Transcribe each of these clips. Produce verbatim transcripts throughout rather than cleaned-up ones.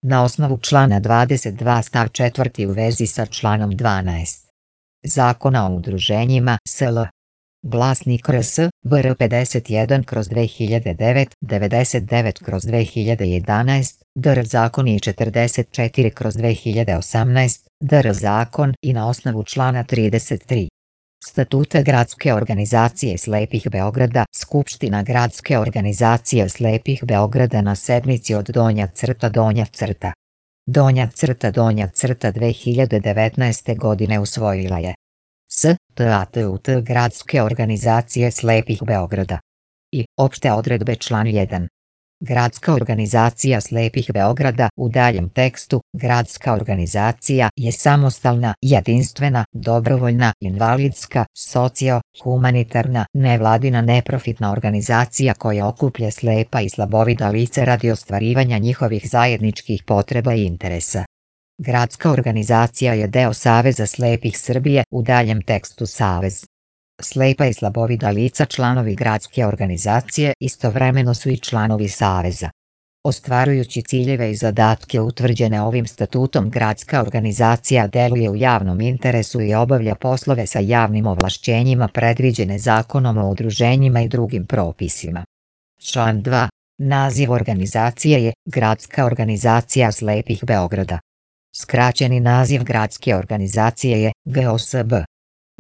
Na osnovu člana dvadeset dva stav četvrti u vezi sa članom dvanaest Zakona o udruženjima S L. Glasnik R S B R pedeset jedan kroz dve hiljade devet, devedeset devet kroz dve hiljade jedanaest, D R zakon i četrdeset četiri kroz dve hiljade osamnaest, D R zakon i na osnovu člana trideset tri Statuta Gradske organizacije slepih Beograda, Skupština Gradske organizacije slepih Beograda na sednici od donja crta donja crta. Donja crta donja crta dve hiljade devetnaeste godine usvojila je Statut Gradske organizacije slepih Beograda. I opšte odredbe član jedan. Gradska organizacija slepih Beograda u daljem tekstu Gradska organizacija je samostalna, jedinstvena, dobrovoljna, invalidska, socio-humanitarna, nevladina neprofitna organizacija koja okuplja slepa i slabovida lica radi ostvarivanja njihovih zajedničkih potreba i interesa. Gradska organizacija je deo Saveza slepih Srbije u daljem tekstu Savez. Slepa i slabovida lica članovi gradske organizacije istovremeno su i članovi Saveza. Ostvarujući ciljeve i zadatke utvrđene ovim statutom, gradska organizacija deluje u javnom interesu i obavlja poslove sa javnim ovlašćenjima predviđene Zakonom o udruženjima i drugim propisima. Član dva. Naziv organizacije je Gradska organizacija slepih Beograda. Skraćeni naziv gradske organizacije je G O S B.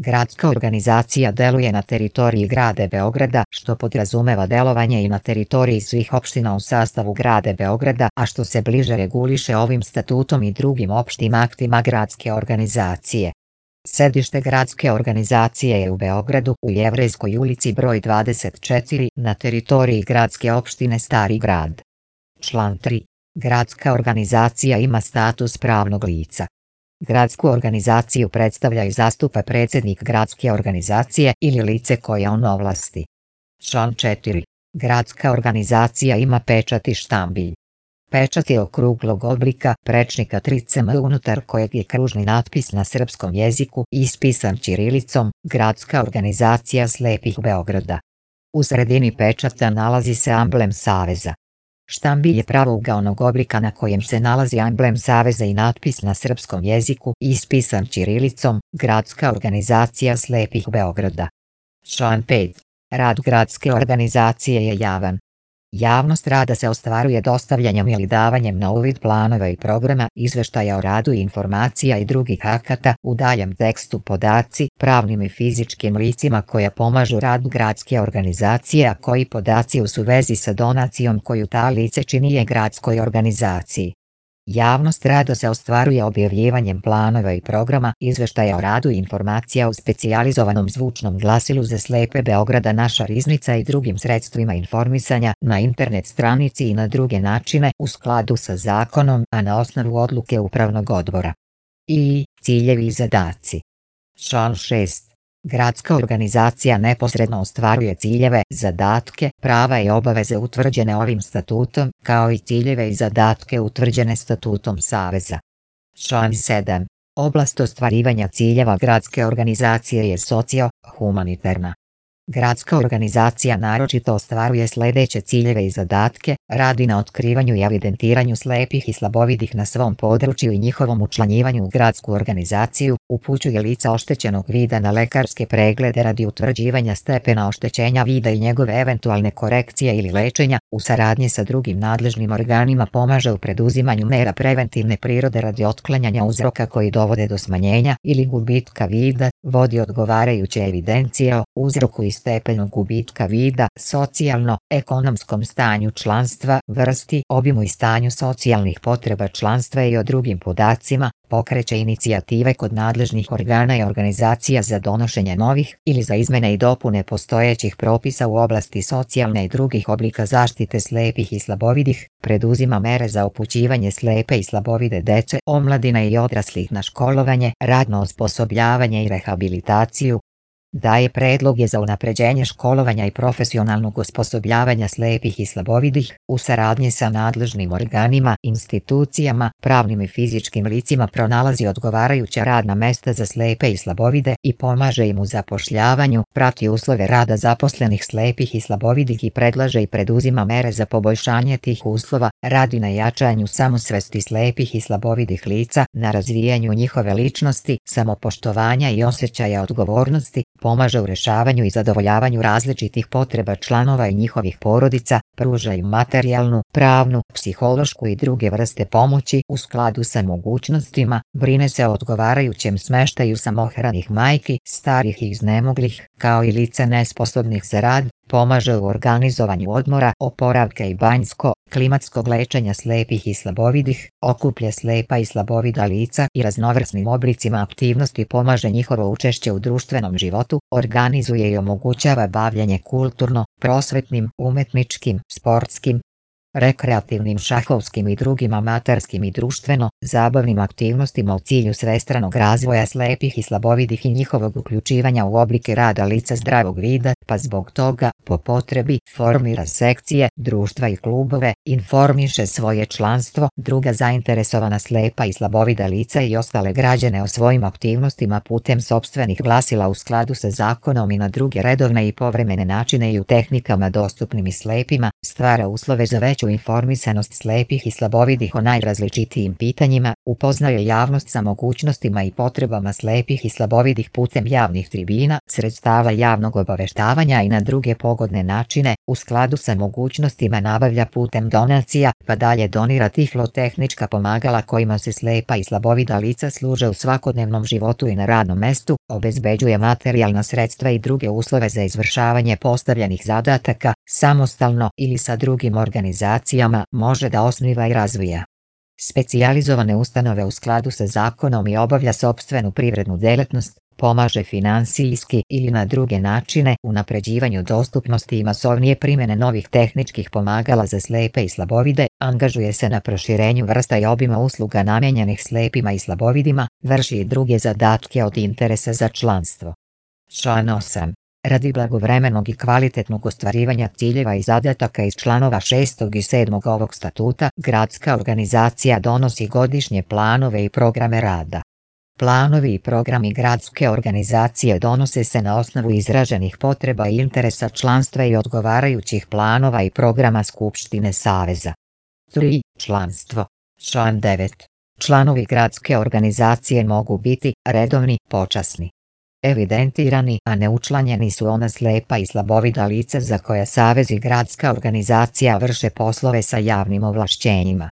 Gradska organizacija deluje na teritoriji grada Beograda, što podrazumeva delovanje i na teritoriji svih opština u sastavu grada Beograda, a što se bliže reguliše ovim statutom i drugim opštim aktima gradske organizacije. Sedište gradske organizacije je u Beogradu, u Jevrejskoj ulici broj dvadeset četiri, na teritoriji gradske opštine Stari grad. Član tri. Gradska organizacija ima status pravnog lica. Gradsku organizaciju predstavlja i zastupa predsednik gradske organizacije ili lice koje on ovlasti. Član četiri. Gradska organizacija ima pečat i štambilj. Pečat je okruglog oblika, prečnika tri centimetra unutar kojeg je kružni natpis na srpskom jeziku ispisan ćirilicom Gradska organizacija slepih Beograda. U sredini pečata nalazi se amblem Saveza. Štambilj je pravougaonog oblika na kojem se nalazi amblem Saveza i natpis na srpskom jeziku ispisan ćirilicom Gradska organizacija slepih Beograda. Član pet. Rad gradske organizacije je javan. Javnost rada se ostvaruje dostavljanjem ili davanjem na uvid planova i programa, izveštaja o radu i informacija i drugih akata, u daljem tekstu podaci, pravnim i fizičkim licima koja pomažu radu gradske organizacije, a koji podaci u vezi sa donacijom koju ta lice čini je gradskoj organizaciji. Javnost rada se ostvaruje objavljivanjem planova i programa, izveštaja o radu i informacija u specijalizovanom zvučnom glasilu za slepe Beograda Naša riznica i drugim sredstvima informisanja, na internet stranici i na druge načine u skladu sa zakonom, a na osnovu odluke upravnog odbora. I ciljevi i zadaci. Član šest. Gradska organizacija neposredno ostvaruje ciljeve, zadatke, prava i obaveze utvrđene ovim statutom, kao i ciljeve i zadatke utvrđene statutom Saveza. Član sedam. Oblast ostvarivanja ciljeva gradske organizacije je socio-humanitarna. Gradska organizacija naročito ostvaruje sledeće ciljeve i zadatke, radi na otkrivanju i evidentiranju slepih i slabovidih na svom području i njihovom učlanjivanju u gradsku organizaciju, upućuje lica oštećenog vida na lekarske preglede radi utvrđivanja stepena oštećenja vida i njegove eventualne korekcije ili lečenja, u saradnji sa drugim nadležnim organima pomaže u preduzimanju mera preventivne prirode radi otklanjanja uzroka koji dovode do smanjenja ili gubitka vida, vodi odgovarajuće evidencije o uzroku i stepenu gubitka vida, socijalno-ekonomskom stanju članstva, vrsti, obimu i stanju socijalnih potreba članstva i o drugim podacima, pokreće inicijative kod nadležnih organa i organizacija za donošenje novih ili za izmene i dopune postojećih propisa u oblasti socijalne i drugih oblika zaštite slepih i slabovidih, preduzima mere za upućivanje slepe i slabovide dece, omladine i odraslih na školovanje, radno osposobljavanje i rehabilitaciju. daje predloge za unapređenje školovanja i profesionalnog osposobljavanja slepih i slabovidih u saradnji sa nadležnim organima, institucijama, pravnim i fizičkim licima, pronalazi odgovarajuća radna mesta za slepe i slabovide i pomaže im u zapošljavanju, prati uslove rada zaposlenih slepih i slabovidih i predlaže i preduzima mere za poboljšanje tih uslova, radi na jačanju samosvesti slepih i slabovidih lica, na razvijanju njihove ličnosti, samopoštovanja i osjećaja odgovornosti, pomaže u rešavanju i zadovoljavanju različitih potreba članova i njihovih porodica, pruža im materijalnu, pravnu, psihološku i druge vrste pomoći u skladu sa mogućnostima, brine se o odgovarajućem smeštaju samohranih majki, starih i iznemoglih, kao i lica nesposobnih za rad, pomaže u organizovanju odmora, oporavka i banjsko, klimatskog lečenja slepih i slabovidih, okuplja slepa i slabovida lica i raznovrsnim oblicima aktivnosti pomaže njihovo učešće u društvenom životu, organizuje i omogućava bavljenje kulturno, prosvetnim, umetničkim, sportskim, rekreativnim, šahovskim i drugim amaterskim i društveno zabavnim aktivnostima u cilju svestranog razvoja slepih i slabovidih i njihovog uključivanja u oblike rada lica zdravog vida, pa zbog toga, po potrebi, formira sekcije, društva i klubove, informiše svoje članstvo, druga zainteresovana slepa i slabovida lica i ostale građane o svojim aktivnostima putem sopstvenih glasila u skladu sa zakonom i na druge redovne i povremene načine i u tehnikama dostupnim i slepima, stvara uslove za veću informisanost slepih i slabovidih o najrazličitijim pitanjima, upoznaje javnost sa mogućnostima i potrebama slepih i slabovidih putem javnih tribina, sredstava javnog obaveštavanja i na druge pogodne načine, u skladu sa mogućnostima nabavlja putem donacija, pa dalje donira tiflotehnička pomagala kojima se slepa i slabovida lica služe u svakodnevnom životu i na radnom mestu, obezbeđuje materijalna sredstva i druge uslove za izvršavanje postavljenih zadataka, samostalno ili sa drugim organizacijama, može da osniva i razvija specijalizovane ustanove u skladu sa zakonom i obavlja sopstvenu privrednu delatnost, pomaže finansijski ili na druge načine unapređivanju dostupnosti i masovnije primjene novih tehničkih pomagala za slepe i slabovide, angažuje se na proširenju vrsta i obima usluga namijenjenih slepima i slabovidima, vrši i druge zadatke od interesa za članstvo. Član osam. Radi blagovremenog i kvalitetnog ostvarivanja ciljeva i zadataka iz članova šestog i sedmog ovog statuta, gradska organizacija donosi godišnje planove i programe rada. Planovi i programi gradske organizacije donose se na osnovu izraženih potreba i interesa članstva i odgovarajućih planova i programa Skupštine Saveza. tri. Članstvo. Član devet. Članovi gradske organizacije mogu biti redovni, počasni. Evidentirani, a neučlanjeni su ona slepa i slabovida lica za koja Savez i gradska organizacija vrše poslove sa javnim ovlašćenjima.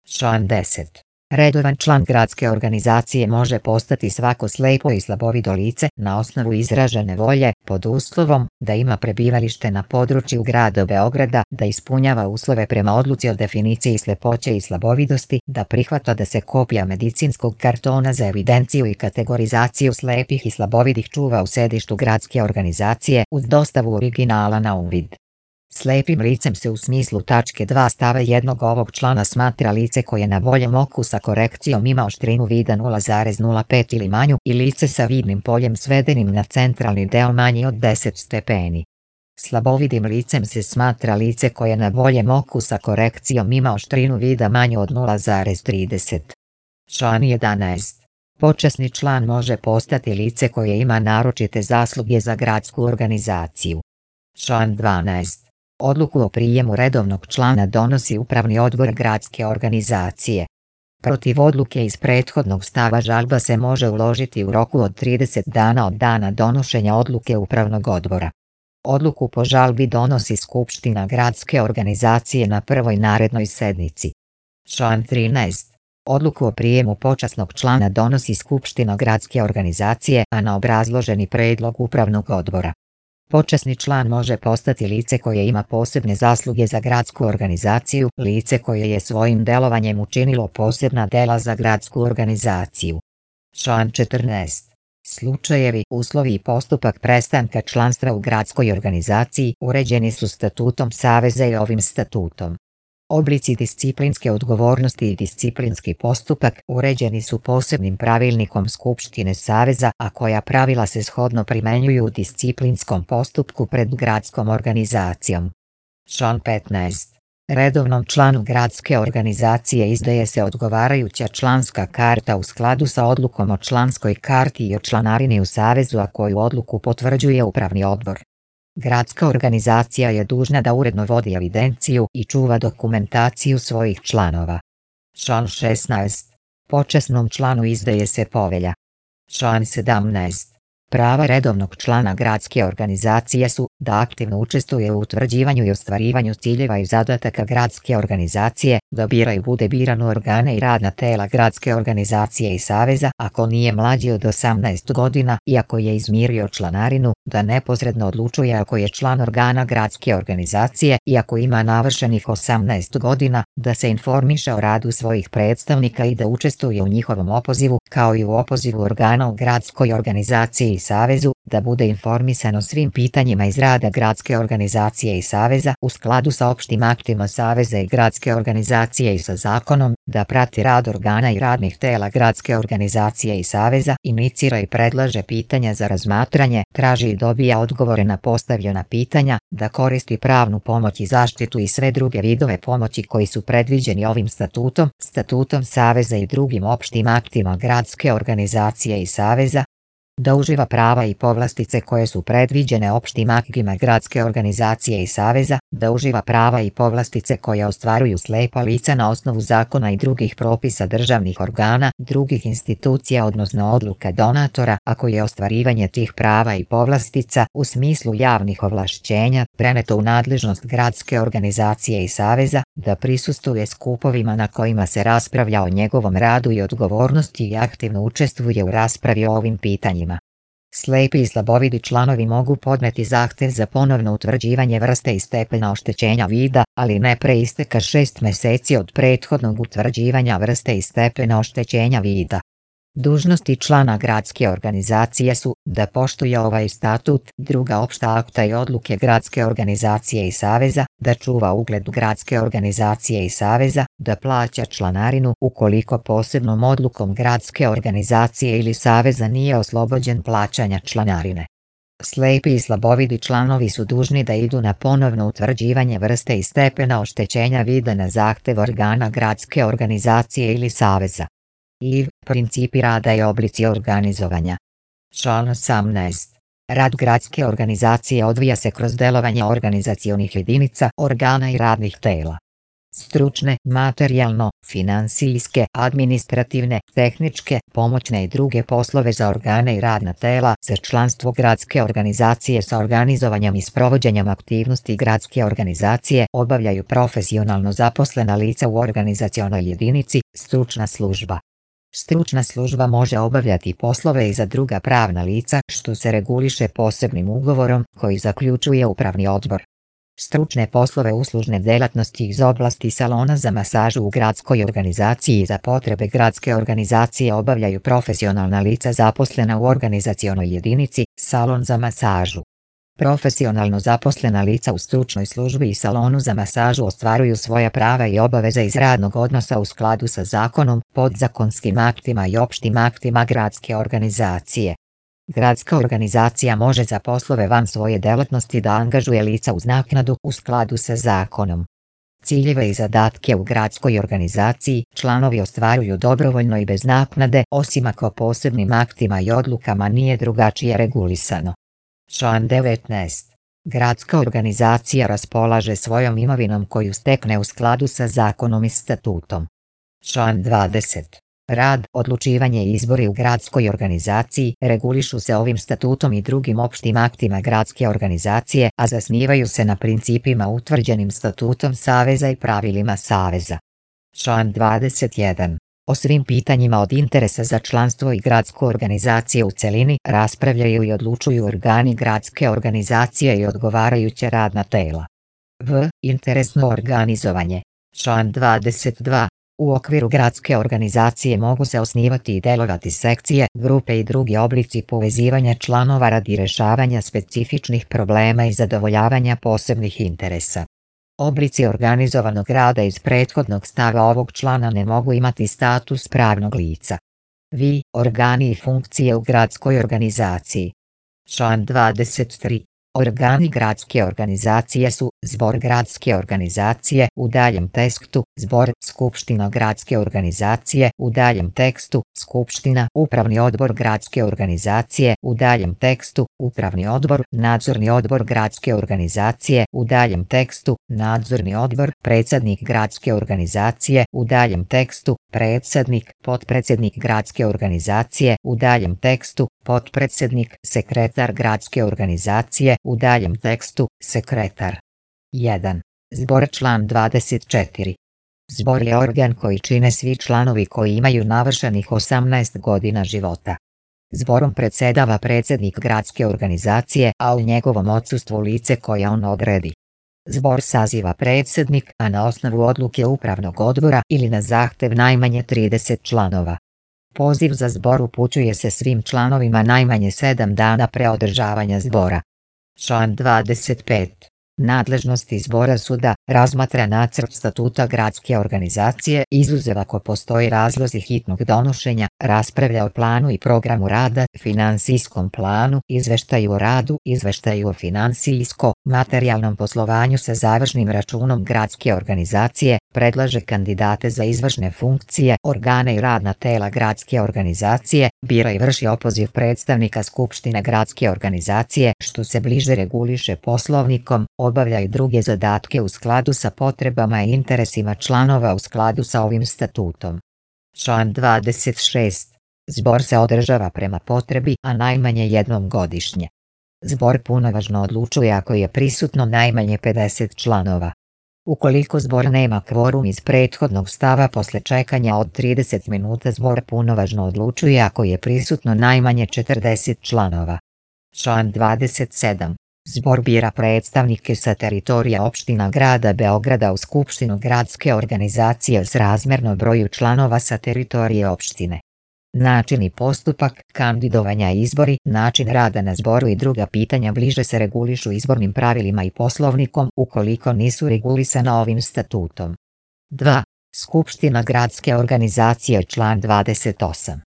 Član deset. Redovan član gradske organizacije može postati svako slepo i slabovido lice na osnovu izražene volje, pod uslovom da ima prebivalište na području grada Beograda, da ispunjava uslove prema odluci o definiciji slepoće i slabovidosti, da prihvata da se kopija medicinskog kartona za evidenciju i kategorizaciju slepih i slabovidih čuva u sedištu gradske organizacije uz dostavu originala na uvid. Slepim licem se u smislu tačke dva stava jednog ovog člana smatra lice koje na boljem oku sa korekcijom ima oštrinu vida nula zarez nula pet ili manju i lice sa vidnim poljem svedenim na centralni deo manji od deset stepeni. Slabovidim licem se smatra lice koje na boljem oku sa korekcijom ima oštrinu vida manju od nula zarez trideset. Član jedanaest. Počasni član može postati lice koje ima naročite zasluge za gradsku organizaciju. Član dvanaest. Odluku o prijemu redovnog člana donosi upravni odbor gradske organizacije. Protiv odluke iz prethodnog stava žalba se može uložiti u roku od trideset dana od dana donošenja odluke upravnog odbora. Odluku po žalbi donosi Skupština gradske organizacije na prvoj narednoj sednici. Član trinaest. Odluku o prijemu počasnog člana donosi Skupština gradske organizacije, a na obrazloženi predlog upravnog odbora. Počasni član može postati lice koje ima posebne zasluge za gradsku organizaciju, lice koje je svojim delovanjem učinilo posebna dela za gradsku organizaciju. Član četrnaest. Slučajevi, uslovi i postupak prestanka članstva u gradskoj organizaciji uređeni su statutom Saveza i ovim statutom. Oblici disciplinske odgovornosti i disciplinski postupak uređeni su posebnim pravilnikom Skupštine Saveza, a koja pravila se shodno primenjuju u disciplinskom postupku pred gradskom organizacijom. Član petnaest. Redovnom članu gradske organizacije izdaje se odgovarajuća članska karta u skladu sa odlukom o članskoj karti i o članarini u Savezu, a koju odluku potvrđuje upravni odbor. Gradska organizacija je dužna da uredno vodi evidenciju i čuva dokumentaciju svojih članova. Član šesnaest. Počasnom članu izdaje se povelja. Član sedamnaest. Prava redovnog člana gradske organizacije su da aktivno učestvuje u utvrđivanju i ostvarivanju ciljeva i zadataka gradske organizacije, da bira i bude biran u organe i radna tela gradske organizacije i saveza ako nije mlađi od osamnaest godina i ako je izmirio članarinu, da neposredno odlučuje ako je član organa gradske organizacije i ako ima navršenih osamnaest godina, da se informiše o radu svojih predstavnika i da učestvuje u njihovom opozivu, kao i u opozivu organa u gradskoj organizaciji i savezu, da bude informisan o svim pitanjima iz rada gradske organizacije i saveza u skladu sa opštim aktima saveza i gradske organizacije i sa zakonom, da prati rad organa i radnih tela gradske organizacije i saveza, inicira i predlaže pitanja za razmatranje, traži i dobija odgovore na postavljena pitanja, da koristi pravnu pomoć i zaštitu i sve druge vidove pomoći koji su predviđeni ovim statutom, statutom saveza i drugim opštim aktima gradske organizacije i saveza, da uživa prava i povlastice koje su predviđene opštim aktima gradske organizacije i saveza, da uživa prava i povlastice koje ostvaruju slepa lica na osnovu zakona i drugih propisa državnih organa, drugih institucija odnosno odluka donatora, ako je ostvarivanje tih prava i povlastica u smislu javnih ovlašćenja preneto u nadležnost gradske organizacije i saveza, da prisustvuje skupovima na kojima se raspravlja o njegovom radu i odgovornosti i aktivno učestvuje u raspravi o ovim pitanjima. Slepi i slabovidi članovi mogu podneti zahtev za ponovno utvrđivanje vrste i stepena oštećenja vida, ali ne pre isteka šest meseci od prethodnog utvrđivanja vrste i stepena oštećenja vida. Dužnosti člana gradske organizacije su da poštuje ovaj statut, druga opšta akta i odluke gradske organizacije i saveza, da čuva ugled gradske organizacije i saveza, da plaća članarinu ukoliko posebnom odlukom gradske organizacije ili saveza nije oslobođen plaćanja članarine. Slepi i slabovidi članovi su dužni da idu na ponovno utvrđivanje vrste i stepena oštećenja vida na zahtev organa gradske organizacije ili saveza. I principi rada i oblici organizovanja. Član osamnaest. Rad gradske organizacije odvija se kroz delovanje organizacionih jedinica, organa i radnih tela. Stručne, materijalno, finansijske, administrativne, tehničke, pomoćne i druge poslove za organe i radna tela, za članstvo gradske organizacije sa organizovanjem i sprovođenjem aktivnosti gradske organizacije obavljaju profesionalno zaposlena lica u organizacionoj jedinici, stručna služba. Stručna služba može obavljati poslove i za druga pravna lica, što se reguliše posebnim ugovorom koji zaključuje upravni odbor. Stručne poslove uslužne delatnosti iz oblasti salona za masažu u gradskoj organizaciji za potrebe gradske organizacije obavljaju profesionalna lica zaposlena u organizacionoj jedinici, salon za masažu. Profesionalno zaposlena lica u stručnoj službi i salonu za masažu ostvaruju svoja prava i obaveze iz radnog odnosa u skladu sa zakonom, podzakonskim aktima i opštim aktima gradske organizacije. Gradska organizacija može za poslove van svoje delatnosti da angažuje lica uz naknadu u skladu sa zakonom. Ciljeve i zadatke u gradskoj organizaciji članovi ostvaruju dobrovoljno i bez naknade, osim ako posebnim aktima i odlukama nije drugačije regulisano. Član devetnaest. Gradska organizacija raspolaže svojom imovinom koju stekne u skladu sa zakonom i statutom. Član dvadeset. Rad, odlučivanje i izbori u gradskoj organizaciji regulišu se ovim statutom i drugim opštim aktima gradske organizacije, a zasnivaju se na principima utvrđenim statutom saveza i pravilima saveza. Član dvadeset jedan. O svim pitanjima od interesa za članstvo i gradsku organizaciju u celini raspravljaju i odlučuju organi gradske organizacije i odgovarajuća radna tela. V. Interesno organizovanje. Član dvadeset dva. U okviru gradske organizacije mogu se osnivati i delovati sekcije, grupe i drugi oblici povezivanja članova radi rešavanja specifičnih problema i zadovoljavanja posebnih interesa. Oblici organizovanog rada iz prethodnog stava ovog člana ne mogu imati status pravnog lica. Vi, organi i funkcije u gradskoj organizaciji. Član dvadeset tri. Organi gradske organizacije su zbor gradske organizacije u daljem tekstu, zbor, skupština gradske organizacije u daljem tekstu, skupština, upravni odbor gradske organizacije u daljem tekstu, upravni odbor, nadzorni odbor gradske organizacije u daljem tekstu, nadzorni odbor, predsjednik gradske organizacije u daljem tekstu, predsjednik, potpredsjednik gradske organizacije u daljem tekstu, potpredsjednik, sekretar gradske organizacije u daljem tekstu, sekretar. jedan. Zbor član dvadeset četiri. Zbor je organ koji čine svi članovi koji imaju navršenih osamnaest godina života. Zborom predsjedava predsjednik gradske organizacije, a u njegovom odsustvu lice koje on odredi. Zbor saziva predsjednik, a na osnovu odluke upravnog odbora ili na zahtev najmanje trideset članova. Poziv za zbor upućuje se svim članovima najmanje sedam dana pre održavanja zbora. Član dvadeset pet. Nadležnosti zbora su da razmatra nacrt statuta gradske organizacije, izuzev ako postoji razlozi hitnog donošenja, raspravlja o planu i programu rada, finansijskom planu, izveštaju o radu, izveštaju o finansijsko-materijalnom poslovanju sa završnim računom gradske organizacije, predlaže kandidate za izvršne funkcije, organe i radna tela gradske organizacije, bira i vrši opoziv predstavnika Skupštine gradske organizacije, što se bliže reguliše poslovnikom, obavlja i druge zadatke u skladu sa potrebama i interesima članova u skladu sa ovim statutom. Član dvadeset šest. Zbor se održava prema potrebi, a najmanje jednom godišnje. Zbor punovažno odlučuje ako je prisutno najmanje pedeset članova. Ukoliko zbor nema kvorum iz prethodnog stava posle čekanja od trideset minuta, zbor punovažno odlučuje ako je prisutno najmanje četrdeset članova. Član dvadeset sedam. Zbor bira predstavnike sa teritorija opština grada Beograda u Skupštinu gradske organizacije srazmerno broju članova sa teritorije opštine. Način i postupak, kandidovanja i izbori, način rada na zboru i druga pitanja bliže se regulišu izbornim pravilima i poslovnikom ukoliko nisu regulisana ovim statutom. dva. Skupština gradske organizacije. Član dvadeset osam.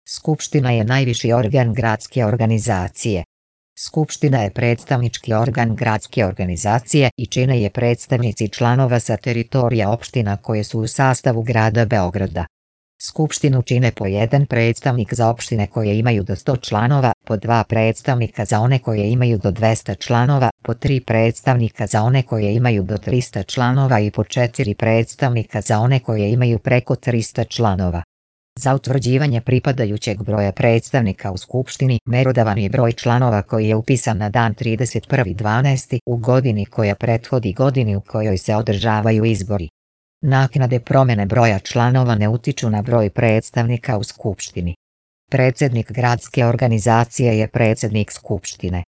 Skupština je najviši organ gradske organizacije. Skupština je predstavnički organ gradske organizacije i čine je predstavnici članova sa teritorija opština koje su u sastavu grada Beograda. Skupštinu čine po jedan predstavnik za opštine koje imaju do sto članova, po dva predstavnika za one koje imaju do dvesta članova, po tri predstavnika za one koje imaju do trista članova i po četiri predstavnika za one koje imaju preko trista članova. Za utvrđivanje pripadajućeg broja predstavnika u Skupštini merodavan je broj članova koji je upisan na dan trideset prvi dvanaesti u godini koja prethodi godini u kojoj se održavaju izbori. Naknade promjene broja članova ne utiču na broj predstavnika u Skupštini. Predsjednik gradske organizacije je predsjednik Skupštine.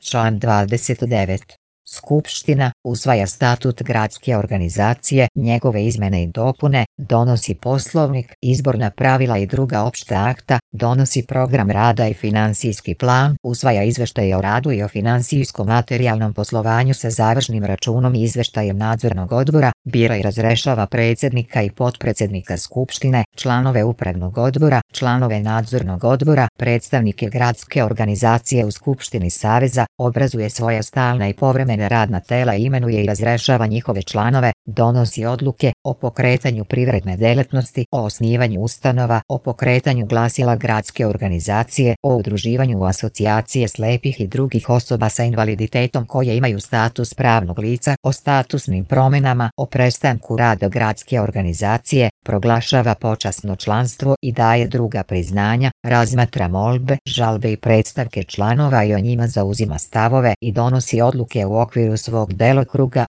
Član dvadeset devet. Skupština usvaja statut gradske organizacije, njegove izmene i dopune, donosi poslovnik, izborna pravila i druga opšta akta, donosi program rada i finansijski plan, usvaja izveštaje o radu i o finansijsko-materijalnom poslovanju sa završnim računom i izveštajem nadzornog odbora, bira i razrešava predsjednika i potpredsjednika Skupštine, članove upravnog odbora, članove nadzornog odbora, predstavnike gradske organizacije u Skupštini Saveza, obrazuje svoja stalna i povremena radna tela i imenuje i razrešava njihove članove, donosi odluke o pokretanju privredne delatnosti, o osnivanju ustanova, o pokretanju glasila gradske organizacije, o udruživanju u asocijacije slepih i drugih osoba sa invaliditetom koje imaju status pravnog lica, o statusnim promjenama, o prestanku rada gradske organizacije, proglašava počasno članstvo i daje druga priznanja, razmatra molbe, žalbe i predstavke članova i o njima zauzima stavove i donosi odluke u okviru svog delokruga,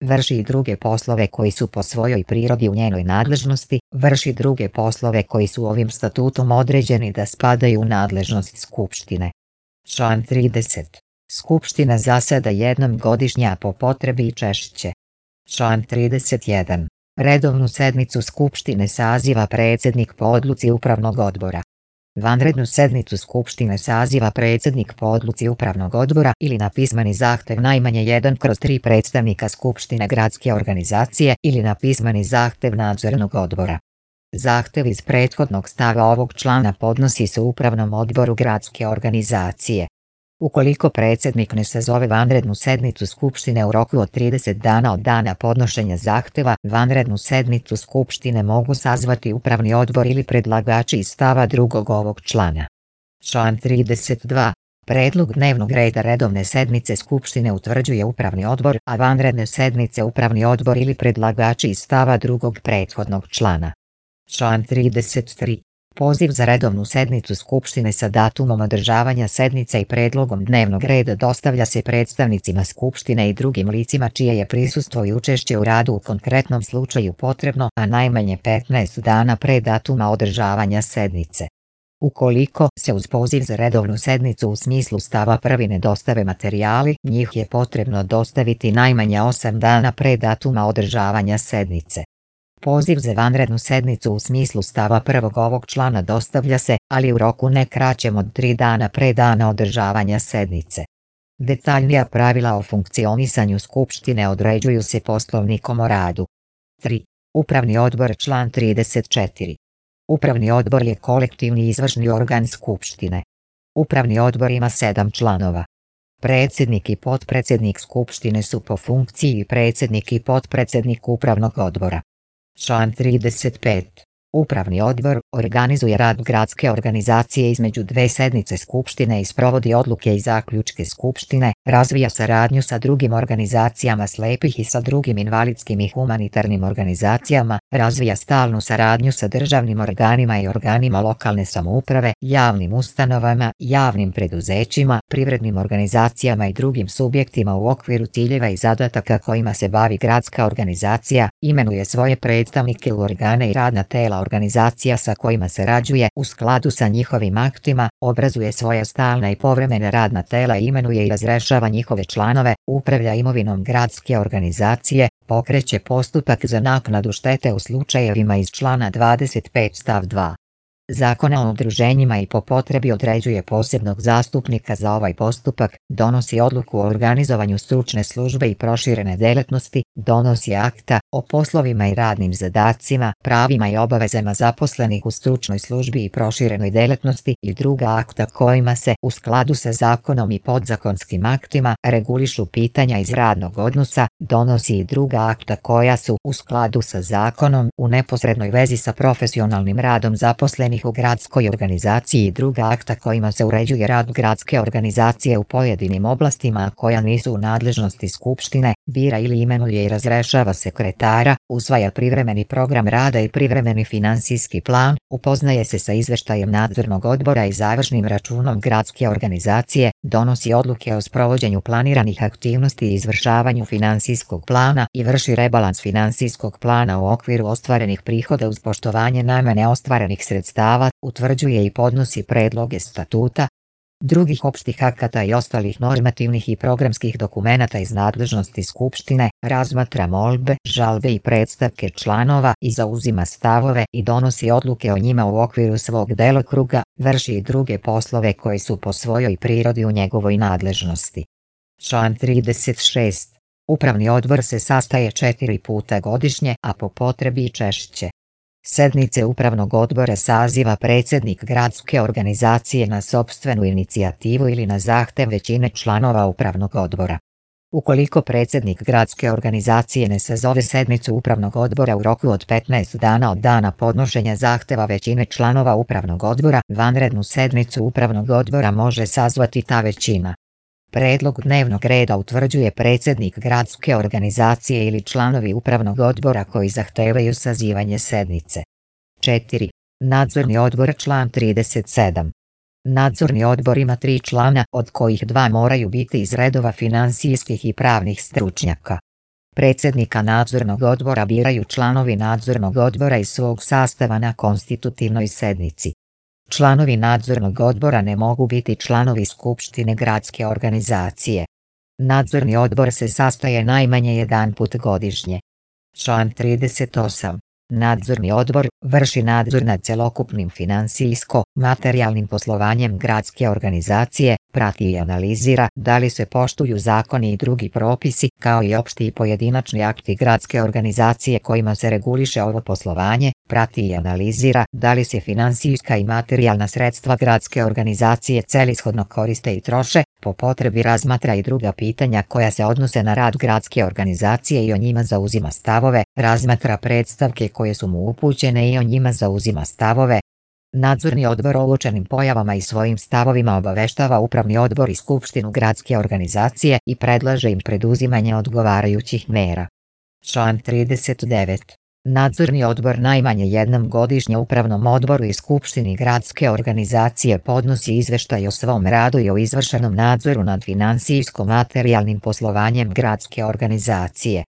vrši i druge poslove koji su po svojoj prirodi u njenoj nadležnosti, vrši druge poslove koji su ovim statutom određeni da spadaju u nadležnost Skupštine. Član trideset. Skupština zaseda jednom godišnje, a po potrebi i češće. Član trideset jedan. Redovnu sednicu Skupštine saziva predsjednik po odluci upravnog odbora. Vanrednu sednicu Skupštine saziva predsjednik po odluci Upravnog odbora ili na pismeni zahtjev najmanje jedan kroz tri predstavnika Skupštine gradske organizacije ili na pismeni zahtjev Nadzornog odbora. Zahtjev iz prethodnog stava ovog člana podnosi se Upravnom odboru gradske organizacije. Ukoliko predsjednik ne sazove vanrednu sednicu Skupštine u roku od trideset dana od dana podnošenja zahtjeva, vanrednu sednicu Skupštine mogu sazvati Upravni odbor ili predlagači iz stava drugog ovog člana. Član trideset dva. Predlog dnevnog reda redovne sednice Skupštine utvrđuje Upravni odbor, a vanredne sednice Upravni odbor ili predlagači iz stava drugog prethodnog člana. Član trideset tri. Poziv za redovnu sednicu Skupštine sa datumom održavanja sednice i predlogom dnevnog reda dostavlja se predstavnicima Skupštine i drugim licima čije je prisustvo i učešće u radu u konkretnom slučaju potrebno, a najmanje petnaest dana pre datuma održavanja sednice. Ukoliko se uz poziv za redovnu sednicu u smislu stava prvi ne dostave materijali, njih je potrebno dostaviti najmanje osam dana pre datuma održavanja sednice. Poziv za vanrednu sednicu u smislu stava prvog ovog člana dostavlja se, ali u roku ne kraćem od tri dana pre dana održavanja sednice. Detaljnija pravila o funkcionisanju Skupštine određuju se Poslovnikom o radu. tri. Upravni odbor. Član trideset četiri. Upravni odbor je kolektivni izvršni organ Skupštine. Upravni odbor ima sedam članova. Predsjednik i potpredsjednik Skupštine su po funkciji predsjednik i potpredsjednik Upravnog odbora. Član trideset pet. Upravni odbor organizuje rad gradske organizacije između dve sednice Skupštine i sprovodi odluke i zaključke Skupštine, razvija saradnju sa drugim organizacijama slepih i sa drugim invalidskim i humanitarnim organizacijama, razvija stalnu saradnju sa državnim organima i organima lokalne samouprave, javnim ustanovama, javnim preduzećima, privrednim organizacijama i drugim subjektima u okviru ciljeva i zadataka kojima se bavi gradska organizacija, imenuje svoje predstavnike u organe i radna tela organizacija sa kojima sarađuje u skladu sa njihovim aktima, obrazuje svoja stalna i povremena radna tela i imenuje i razrešava njihove članove, upravlja imovinom gradske organizacije, pokreće postupak za naknadu štete u slučajevima iz člana dvadeset pet stav dva. Zakona o udruženjima i po potrebi određuje posebnog zastupnika za ovaj postupak, donosi odluku o organizovanju stručne službe i proširene delatnosti, donosi akta o poslovima i radnim zadacima, pravima i obavezama zaposlenih u stručnoj službi i proširenoj delatnosti i druga akta kojima se, u skladu sa zakonom i podzakonskim aktima, regulišu pitanja iz radnog odnosa, donosi i druga akta koja su, u skladu sa zakonom, u neposrednoj vezi sa profesionalnim radom zaposlenih u gradskoj organizaciji i druga akta kojima se uređuje rad gradske organizacije u pojedinim oblastima koja nisu u nadležnosti Skupštine, bira ili imenuje i razrešava sekretara, usvaja privremeni program rada i privremeni finansijski plan, upoznaje se sa izveštajem nadzornog odbora i završnim računom gradske organizacije, donosi odluke o sprovođenju planiranih aktivnosti i izvršavanju finansijskog plana i vrši rebalans finansijskog plana u okviru ostvarenih prihoda uz poštovanje najmanje ostvarenih sredstava, utvrđuje i podnosi predloge statuta, drugih opštih akata i ostalih normativnih i programskih dokumenata iz nadležnosti Skupštine, razmatra molbe, žalbe i predstavke članova i zauzima stavove i donosi odluke o njima u okviru svog delokruga, vrši i druge poslove koji su po svojoj prirodi u njegovoj nadležnosti. Član trideset šest. Upravni odbor se sastaje četiri puta godišnje, a po potrebi i češće. Sednice Upravnog odbora saziva predsjednik gradske organizacije na sopstvenu inicijativu ili na zahtev većine članova Upravnog odbora. Ukoliko predsjednik gradske organizacije ne sazove sednicu Upravnog odbora u roku od petnaest dana od dana podnošenja zahteva većine članova Upravnog odbora, vanrednu sednicu Upravnog odbora može sazvati ta većina. Predlog dnevnog reda utvrđuje predsjednik gradske organizacije ili članovi Upravnog odbora koji zahtevaju sazivanje sednice. četiri. Nadzorni odbor. Član trideset sedam. Nadzorni odbor ima tri člana, od kojih dva moraju biti iz redova finansijskih i pravnih stručnjaka. Predsjednika nadzornog odbora biraju članovi nadzornog odbora iz svog sastava na konstitutivnoj sednici. Članovi nadzornog odbora ne mogu biti članovi Skupštine gradske organizacije. Nadzorni odbor se sastaje najmanje jedan put godišnje. Član trideset osam. Nadzorni odbor vrši nadzor nad celokupnim finansijsko-materijalnim poslovanjem gradske organizacije, prati i analizira da li se poštuju zakoni i drugi propisi, kao i opšti i pojedinačni akti gradske organizacije kojima se reguliše ovo poslovanje, prati i analizira da li se finansijska i materijalna sredstva gradske organizacije celishodno koriste i troše, po potrebi razmatra i druga pitanja koja se odnose na rad gradske organizacije i o njima zauzima stavove, razmatra predstavke koje su mu upućene i o njima zauzima stavove. Nadzorni odbor o uočenim pojavama i svojim stavovima obaveštava upravni odbor i skupštinu gradske organizacije i predlaže im preduzimanje odgovarajućih mera. Član trideset devet. Nadzorni odbor najmanje jednom godišnje upravnom odboru i skupštini gradske organizacije podnosi izveštaj o svom radu i o izvršenom nadzoru nad finansijsko-materijalnim poslovanjem gradske organizacije.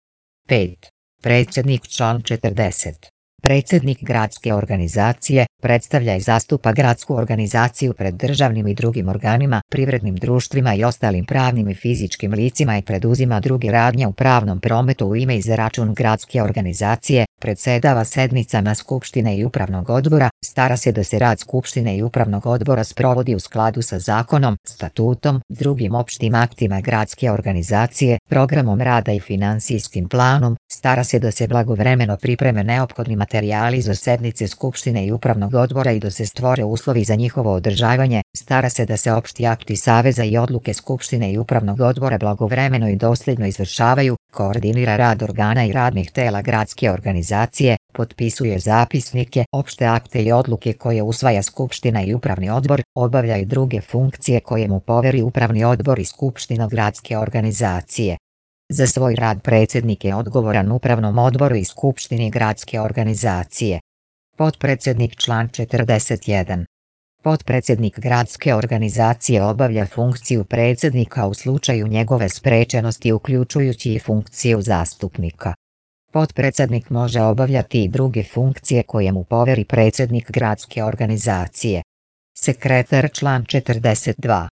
pet. Predsjednik. Član četrdeset. Predsjednik gradske organizacije predstavlja i zastupa gradsku organizaciju pred državnim i drugim organima, privrednim društvima i ostalim pravnim i fizičkim licima i preduzima druge radnje u pravnom prometu u ime i za račun gradske organizacije, predsedava sednicama skupštine i upravnog odbora, stara se da se rad skupštine i upravnog odbora sprovodi u skladu sa zakonom, statutom, drugim opštim aktima gradske organizacije, programom rada i finansijskim planom, stara se da se blagovremeno pripreme neophodni materijali za sednice skupštine i upravnog odbora i da se stvore uslovi za njihovo održavanje, stara se da se opšti akti saveza i odluke skupštine i upravnog odbora blagovremeno i dosljedno izvršavaju, koordinira rad organa i radnih tela gradske organizacije, potpisuje zapisnike, opšte akte i odluke koje usvaja skupština i upravni odbor, obavlja i druge funkcije koje mu poveri upravni odbor i skupština gradske organizacije. Za svoj rad predsjednik je odgovoran upravnom odboru i skupštini gradske organizacije. Potpredsjednik. Član četrdeset jedan. Potpredsjednik gradske organizacije obavlja funkciju predsjednika u slučaju njegove sprečenosti uključujući i funkciju zastupnika. Potpredsjednik može obavljati i druge funkcije koje mu poveri predsjednik gradske organizacije. Sekretar. Član četrdeset dva.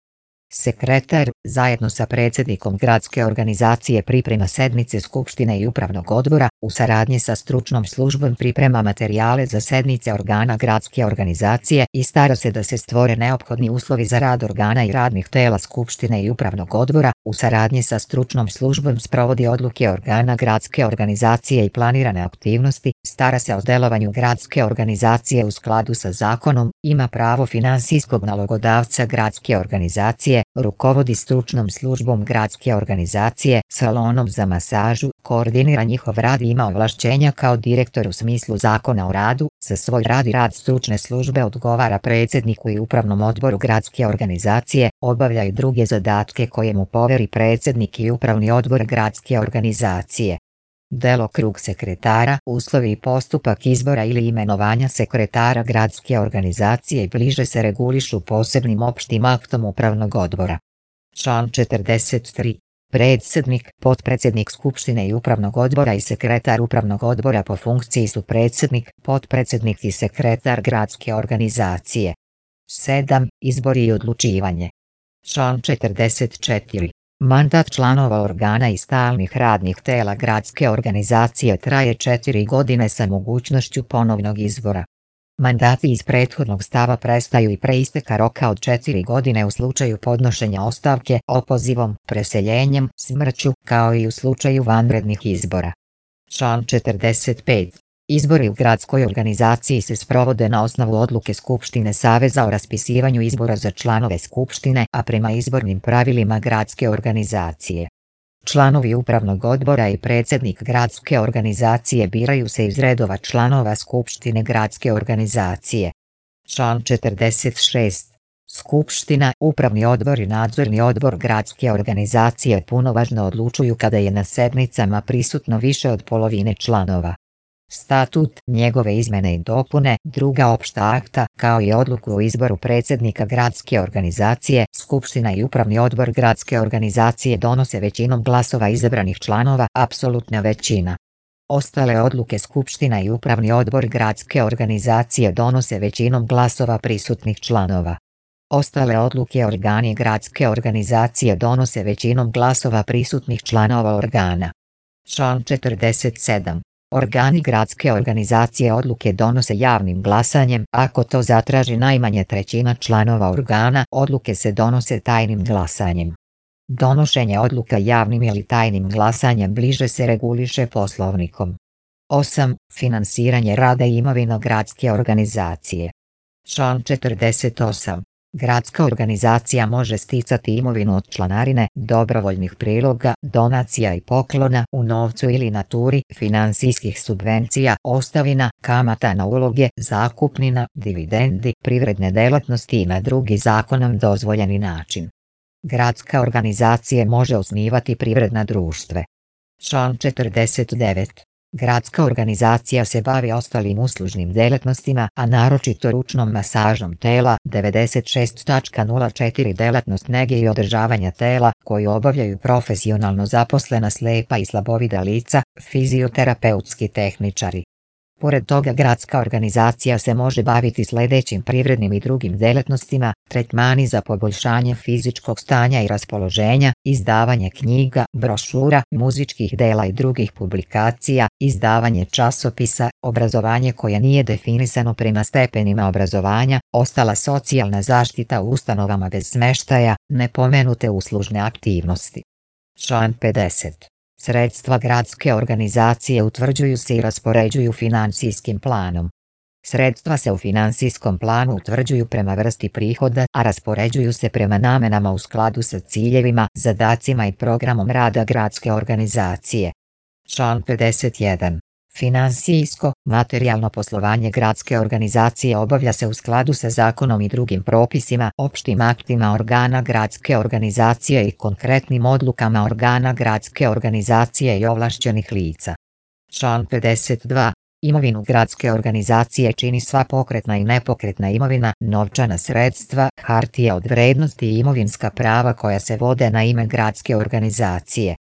Sekretar, zajedno sa predsjednikom gradske organizacije priprema sednice skupštine i upravnog odbora, u saradnji sa stručnom službom priprema materijale za sednice organa gradske organizacije i stara se da se stvore neophodni uslovi za rad organa i radnih tela skupštine i upravnog odbora, u saradnji sa stručnom službom sprovodi odluke organa gradske organizacije i planirane aktivnosti, stara se o delovanju gradske organizacije u skladu sa zakonom, ima pravo finansijskog nalogodavca gradske organizacije, rukovodi stručnom službom gradske organizacije, salonom za masažu, koordinira njihov rad i ima ovlašćenja kao direktor u smislu zakona o radu, za svoj rad i rad stručne službe odgovara predsjedniku i upravnom odboru gradske organizacije, obavlja i druge zadatke koje mu poveri predsjednik i upravni odbor gradske organizacije. Delokrug sekretara, uslovi i postupak izbora ili imenovanja sekretara gradske organizacije bliže se regulišu posebnim opštim aktom upravnog odbora. Član četrdeset tri. Predsjednik, potpredsjednik skupštine i upravnog odbora i sekretar upravnog odbora po funkciji su predsjednik, potpredsjednik i sekretar gradske organizacije. sedam. Izbori i odlučivanje. Član četrdeset četiri. Mandat članova organa i stalnih radnih tela gradske organizacije traje četiri godine sa mogućnošću ponovnog izbora. Mandati iz prethodnog stava prestaju i pre isteka roka od četiri godine u slučaju podnošenja ostavke, opozivom, preseljenjem, smrću, kao i u slučaju vanrednih izbora. Član četrdeset pet. Izbori u gradskoj organizaciji se sprovode na osnovu odluke Skupštine Saveza o raspisivanju izbora za članove Skupštine, a prema izbornim pravilima gradske organizacije. Članovi upravnog odbora i predsjednik gradske organizacije biraju se iz redova članova Skupštine gradske organizacije. Član četrdeset šest. Skupština, upravni odbor i nadzorni odbor gradske organizacije punovažno odlučuju kada je na sednicama prisutno više od polovine članova. Statut, njegove izmene i dopune, druga opšta akta, kao i odluku o izboru predsjednika gradske organizacije, skupština i upravni odbor gradske organizacije donose većinom glasova izabranih članova, apsolutna većina. Ostale odluke skupština i upravni odbor gradske organizacije donose većinom glasova prisutnih članova. Ostale odluke organi gradske organizacije donose većinom glasova prisutnih članova organa. Član četrdeset sedam. Organi gradske organizacije odluke donose javnim glasanjem, ako to zatraži najmanje trećina članova organa, odluke se donose tajnim glasanjem. Donošenje odluka javnim ili tajnim glasanjem bliže se reguliše Poslovnikom. osam. Finansiranje rada i imovina gradske organizacije. Član četrdeset osam. Gradska organizacija može sticati imovinu od članarine, dobrovoljnih priloga, donacija i poklona u novcu ili naturi, finansijskih subvencija, ostavina, kamata na uloge, zakupnina, dividendi, privredne delatnosti i na drugi zakonom dozvoljeni način. Gradska organizacija može osnivati privredna društva. Član četrdeset devet. Gradska organizacija se bavi ostalim uslužnim delatnostima, a naročito ručnom masažom tela. devedeset šest nula četiri Delatnost nege i održavanja tela, koju obavljaju profesionalno zaposlena slepa i slabovida lica, fizioterapeutski tehničari. Pored toga, gradska organizacija se može baviti sljedećim privrednim i drugim delatnostima: tretmani za poboljšanje fizičkog stanja i raspoloženja, izdavanje knjiga, brošura, muzičkih dela i drugih publikacija, izdavanje časopisa, obrazovanje koje nije definisano prema stepenima obrazovanja, ostala socijalna zaštita u ustanovama bez smještaja, nepomenute uslužne aktivnosti. Član pedeset. Sredstva gradske organizacije utvrđuju se i raspoređuju financijskim planom. Sredstva se u finansijskom planu utvrđuju prema vrsti prihoda, a raspoređuju se prema namenama u skladu sa ciljevima, zadacima i programom rada gradske organizacije. Član pedeset jedan. Finansijsko, materijalno poslovanje gradske organizacije obavlja se u skladu sa zakonom i drugim propisima, opštim aktima organa gradske organizacije i konkretnim odlukama organa gradske organizacije i ovlašćenih lica. Član pedeset dva. Imovinu gradske organizacije čini sva pokretna i nepokretna imovina, novčana sredstva, hartije od vrednosti i imovinska prava koja se vode na ime gradske organizacije.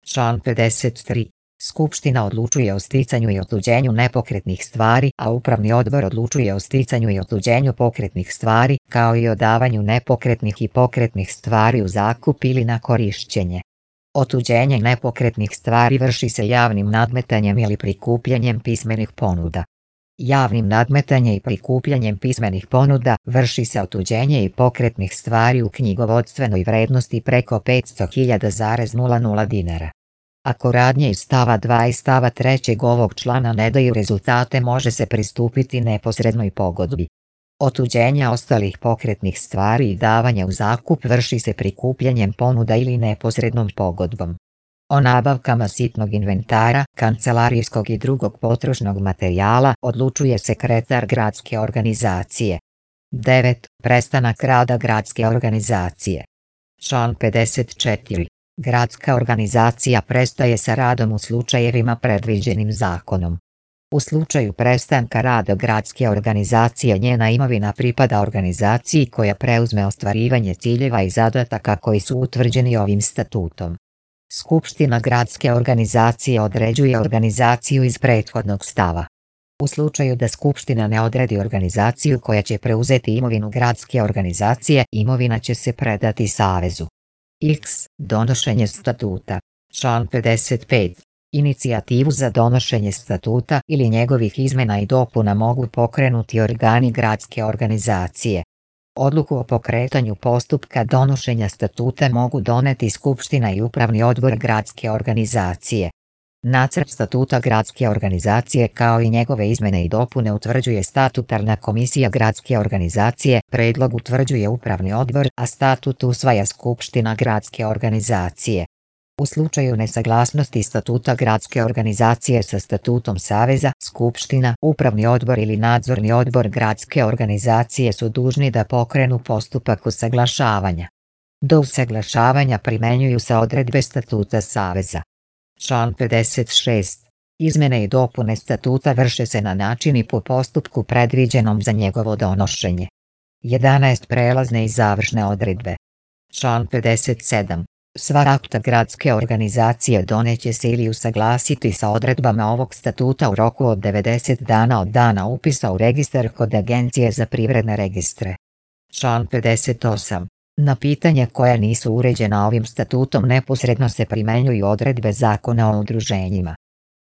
Član pedeset tri. Skupština odlučuje o sticanju i otuđenju nepokretnih stvari, a upravni odbor odlučuje o sticanju i otuđenju pokretnih stvari, kao i o davanju nepokretnih i pokretnih stvari u zakup ili na korišćenje. Otuđenje nepokretnih stvari vrši se javnim nadmetanjem ili prikupljanjem pismenih ponuda. Javnim nadmetanjem i prikupljanjem pismenih ponuda vrši se otuđenje i pokretnih stvari u knjigovodstvenoj vrednosti preko petsto hiljada dinara. Ako radnje iz stava dva i stava tri ovog člana ne daju rezultate, može se pristupiti neposrednoj pogodbi. Otuđenja ostalih pokretnih stvari i davanje u zakup vrši se prikupljanjem ponuda ili neposrednom pogodbom. O nabavkama sitnog inventara, kancelarijskog i drugog potrošnog materijala odlučuje sekretar gradske organizacije. devet. Prestanak rada gradske organizacije. Član pedeset četiri. Gradska organizacija prestaje sa radom u slučajevima predviđenim zakonom. U slučaju prestanka rada gradske organizacije njena imovina pripada organizaciji koja preuzme ostvarivanje ciljeva i zadataka koji su utvrđeni ovim statutom. Skupština gradske organizacije određuje organizaciju iz prethodnog stava. U slučaju da Skupština ne odredi organizaciju koja će preuzeti imovinu gradske organizacije, imovina će se predati Savezu. X. Donošenje statuta. Član pedeset pet. Inicijativu za donošenje statuta ili njegovih izmena i dopuna mogu pokrenuti organi gradske organizacije. Odluku o pokretanju postupka donošenja statuta mogu doneti Skupština i Upravni odbor gradske organizacije. Nacrt statuta gradske organizacije kao i njegove izmene i dopune utvrđuje statutarna komisija gradske organizacije, predlog utvrđuje Upravni odbor, a statut usvaja Skupština gradske organizacije. U slučaju nesaglasnosti statuta gradske organizacije sa statutom Saveza, Skupština, Upravni odbor ili Nadzorni odbor gradske organizacije su dužni da pokrenu postupak usaglašavanja. Do usaglašavanja primenjuju se odredbe statuta Saveza. Član pedeset šest. Izmene i dopune statuta vrše se na način i po postupku predviđenom za njegovo donošenje. jedanaest. Prelazne i završne odredbe. Član pedeset sedam. Sva akta gradske organizacije doneće se ili usaglasiti sa odredbama ovog statuta u roku od devedeset dana od dana upisa u registar kod Agencije za privredne registre. Član pedeset osam. Na pitanja koja nisu uređena ovim statutom neposredno se primenjuju odredbe Zakona o udruženjima.